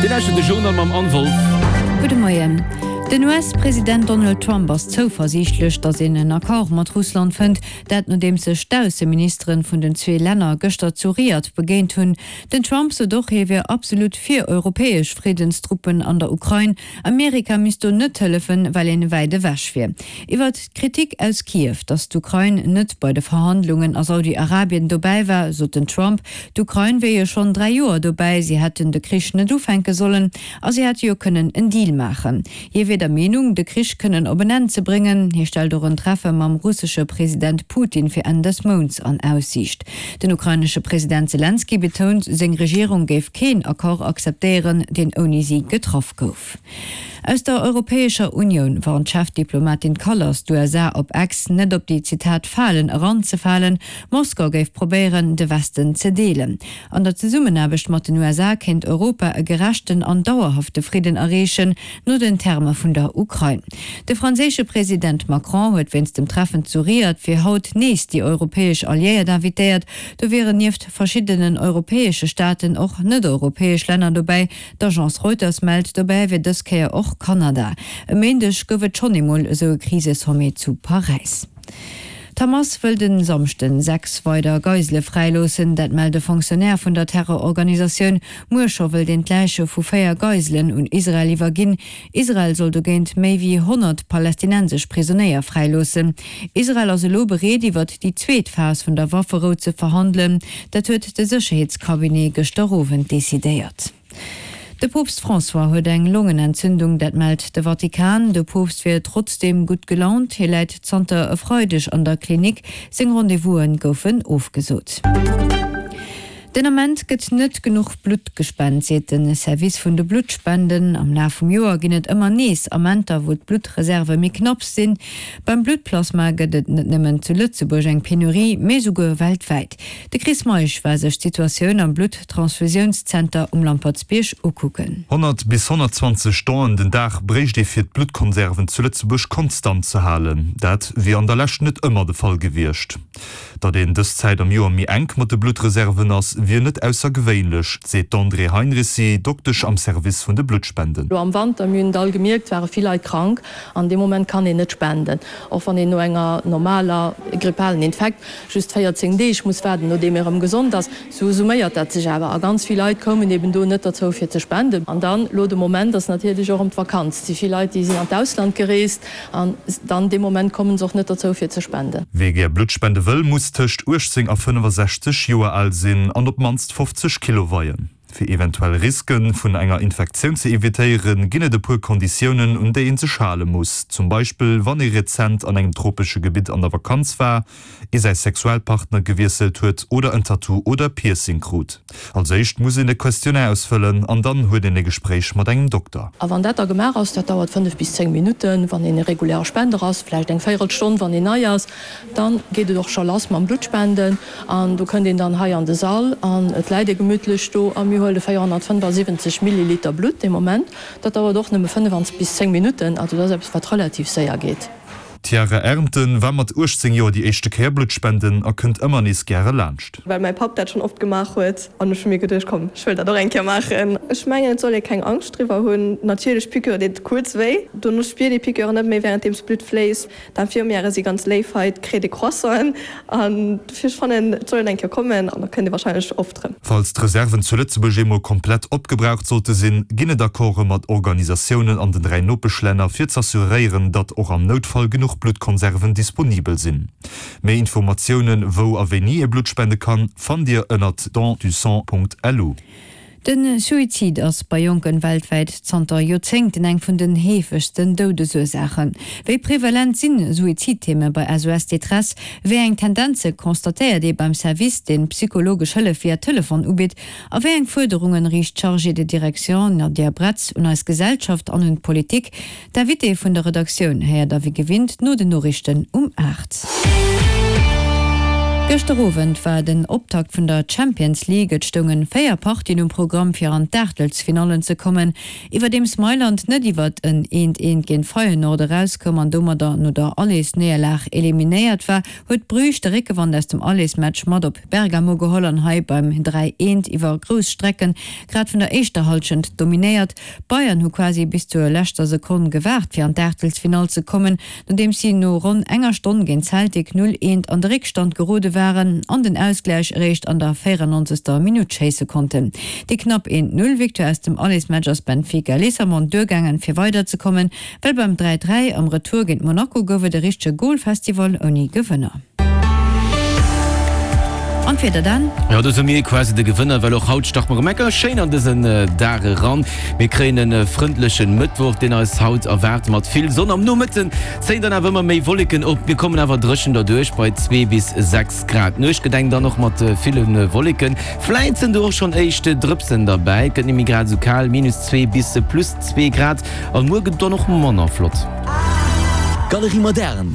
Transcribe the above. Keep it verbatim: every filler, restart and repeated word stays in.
Dir lauschtert de Journal mam Anne Wolff. Gudde Moien. Den US-President Donald Trump ass zouversiichtlech, datt een en Accord mat Russland fënnt. Dat nodeems sech d'Ausseministeren vun den zwee Länner gëschter zu Riad begéint hunn. Den Trump sot och, hie wier absolut fir europäesch Friddenstruppen an der Ukrain. Amerika misst do net hëllefen, well een wäit ewech wier. Iwwert d'Kritik aus Kiew, datt d'Ukrain net bei de Verhandlungen a Saudi-Arabien dobäi war, sot den Trump, d'Ukrain wier jo schonn dräi Joer dobäi, si hätten de Krich net ufänke sollen a si hätte jo kënnen en Deal maachen. Hie wier der Meenung, de Krich kënnen op en Enn ze bréngen. Hie stellt och en Treffe mam russesche President Putin fir Enn des Mounts an Aussiicht. Den ukrainesche President Selenskyj betount, seng Regierung géif keen Accord akzeptéieren, deen ouni si getraff gouf. Aus der Europäescher Unioun warnt d'Chefdiplomatin Kallas d'U S A op X, net op déi, Zitat, Falen eranzefalen. Moskau géif probéieren, de Westen ze deelen. An der Zesummenaarbecht mat den U S A kéint Europa e gerechten an dauerhafte Fridden erreechen, no den Terme vun der Ukrain. De franséische President Macron huet wéinst dem Treffen zu Riad fir haut nees déi europäesch Alliéiert invitéiert. Do wieren nieft verschiddenen europäesche Staaten och net-europäesch Länner dobäi. D'Agence Reuters mellt, dobäi wier dës Kéier och Kanada. E Méindeg gouf et schonn eemol esou e Krisesommet zu Paräis. D'Hamas wëll den Samschden sechs weider Geisele fräiloossen, dat mellt e Fonctionnaire vun der Terrororganisatioun. Muer scho wëllt een d'Läiche vu véier Geiselen un Israel iwwerginn. Israel soll dogéint méi wéi honnert palästinensesch Prisonéier fräiloossen. Israel ass elo bereet, iwwert déi zweet Phas vun der Wafferou ze verhandelen. Dat huet de Sécherheetscabinet gëschter Owend decidéiert. De Poopst François huet eng Longenentzündung, dat mellt de Vatikan. De Poopst wier trotzdeem gutt gelaunt. Hie läit zanter e Freideg an der Klinik. Seng Rendez-vouse goufen ofgesot. Den Ament gëtt net genuch Blutt gespent, seet de Service vun de Bluttspenden. Am Laf vum Joer ginn et ëmmer nees Amenter, wou d'Bluttreserve méi knapp sinn. Beim Bluttplasma gëtt et net nëmmen zu Lëtzebuerg eng Penurie, mee souguer weltwäit. De Chris Meisch war sech d'Situatioun am Blutttransfusiounszenter um Lampertsbierg ukucken. honnert bis honnertzwanzeg Donen den Dag bréicht ee fir d'Bluttkonserven zu Lëtzebuerg konstant ze halen. Dat wier an der Lescht net ëmmer de Fall gewiescht. Datt een dës Zäit am Joer méi enk mat de Bluttreserven ass, wier net aussergewéinlech, seet d'Andrée Heinricy, Doktesch am Service vun de Bluttspenden. Lo am Wanter, mir hunn et all gemierkt, ware vill Leit krank. An deem Moment kann een net spenden. Och wann een no enger normaler grippalen Infekt just véierzéng Deeg muss waarden, nodeem ee rëm gesond ass, sou summéiert dat sech awer. A ganz vill Leit koumen eben do net derzou fir ze spenden. An dann, lo de Moment ass natierlech och ëm d'Vakanz. Et si vill Leit, déi sinn an d'Ausland gereest an dann dee Moment kommen se och net derzou fir ze spenden. Wie gär Blutt spende wëll, muss tëscht uechtzéng a fënnefasechzeg Joer al sinn an op d'mannst fofzeg Kilo weien. Fir eventuell Risken vun enger Infektioun ze evitéieren, ginn et e puer Konditiounen, un déi een sech hale muss. Zum Beispill, wann ee rezent an engem tropesche Gebitt an der Vakanz war, ee säi Sexualpartner gewiesselt huet oder en Tattoo oder Piercing krut. Als éischt muss een e Questionnaire ausfëllen an dann huet een e Gespréich mat engem Dokter. A wann dat da gemaach ass, dat dauert fënnef bis zéng Minutten, wann een e reguläre Spender ass, vläicht eng Véierelstonn, wann een nei ass, dann geet et och scho lass mam Bluttspenden. An do kënnt een dann hei an de Sall an et läit ee gemütlech do a mir huele véierhonnertfënnefasiwwenzeg Milliliter Blutt dee Moment. Dat dauert och nëmme fënnefans bis zéng Minutten, also dat ass eppes, wat relativ séier geet. D'Chiara Ernten war mat uechtzéng Joer déi éischte Kéier Blutt spenden a kënnt ëmmer nees gäre laanscht. Well mäi Papp dat schonn oft gemaach huet an ech hu mir geduecht, komm, ech wëll dat och eng Kéier maachen. Ech mengen, et soll ee keng Angscht driwwer hunn. Natierlech, d'Piqûre deet kuerz wéi. Dono spiert ee Piqûre net méi, wärenddeems d'Blutt fléisst. D'Infirmièrë si ganz léif hei, et kritt ee Croissanten. An dofir, ech fannen, et soll een eng Kéier kommen an da kënnt ee warscheinlech oft erëm. Falls d'Reserven zu Lëtzebuerg eemol komplett opgebraucht sollte sinn, ginn et Accorde mat Organisatiounen an den dräi Nopeschlänner, fir z'assuréieren, datt och am Noutfall genuch Bluttkonserven disponibel sinn. Méi Informatiounen, wou a wéini ee Blutt spende kann, fannt Dir ënnert don du sang punkt lu. De Suizid ass bei Jonken weltwäit zanter Joerzéngten eng vun den heefegsten Doudesursaachen. Wéi prevalent sinn Suizidtheme bei S O S Détresse? Wéi eng Tendenze constatéiert ee beim Service, deen psychologesch Hëllef via Telefon ubitt? A wéi eng Fuerderungen riicht d'Chargée de direction Nadia Bretz un eis Gesellschaft an un d'Politik? D'Invité vun der Redaktioun héiert der wéi gewinnt no den Noriichten um aacht. Gëschter Owend war den Optakt vun der Champions League. Et stounge véier Partien um Programm fir an d'Aachtelsfinallen ze kommen. Iwwerdeems Mailand net iwwert en Eent-Eent géint Feyenoord erauskoum an domadder no der Allesnéierlag eliminéiert war, huet Bruges de Réckewand aus dem Allesmatch mat op Bergamo geholl an hei beim Dräi-Eent iwwer grouss Strecken grad vun der éischter Hallschent dominéiert. D'Bayern hu quasi bis zur leschter Sekonn gewaart fir an d'Aachtelsfinall ze kommen, nodeems si no ronn enger Stonn géint Celtic null eent an de Réckstand gerode waren an den Ausgläich eréischt an der véierannonzegster Minutt schéisse konnten. Déi knapp eent Null Victoire aus dem Allesmatch ass Benfica Lissabon duergaangen fir weiderzekommen, well beim dräi dräi am Retour géint Monaco gouf et e richtege Golfestival ouni Gewënner. An d'Wieder dann? Jo, do si mir quasi de Gewënner, well och haut starte mer erëm eng Kéier schéin an dësen Dag eran. Mir kréien e frëndlechen Mëttwoch, deen eis haut erwaart mat vill Sonn. Am Nomëtten zéien dann awer ëmmer méi Wolleken op, mir kommen awer dréchen derduerch bei zwee bis sechs Grad. D'Nuecht gedenkt dann och mat ville Wolleken, vläit sinn do och schonn éischt Drëpsen derbäi. Et gëtt net méi grad esou kal, minus zwee bis plus zwee Grad, an muer gëtt et dann och manner flott. Galerie Moderne.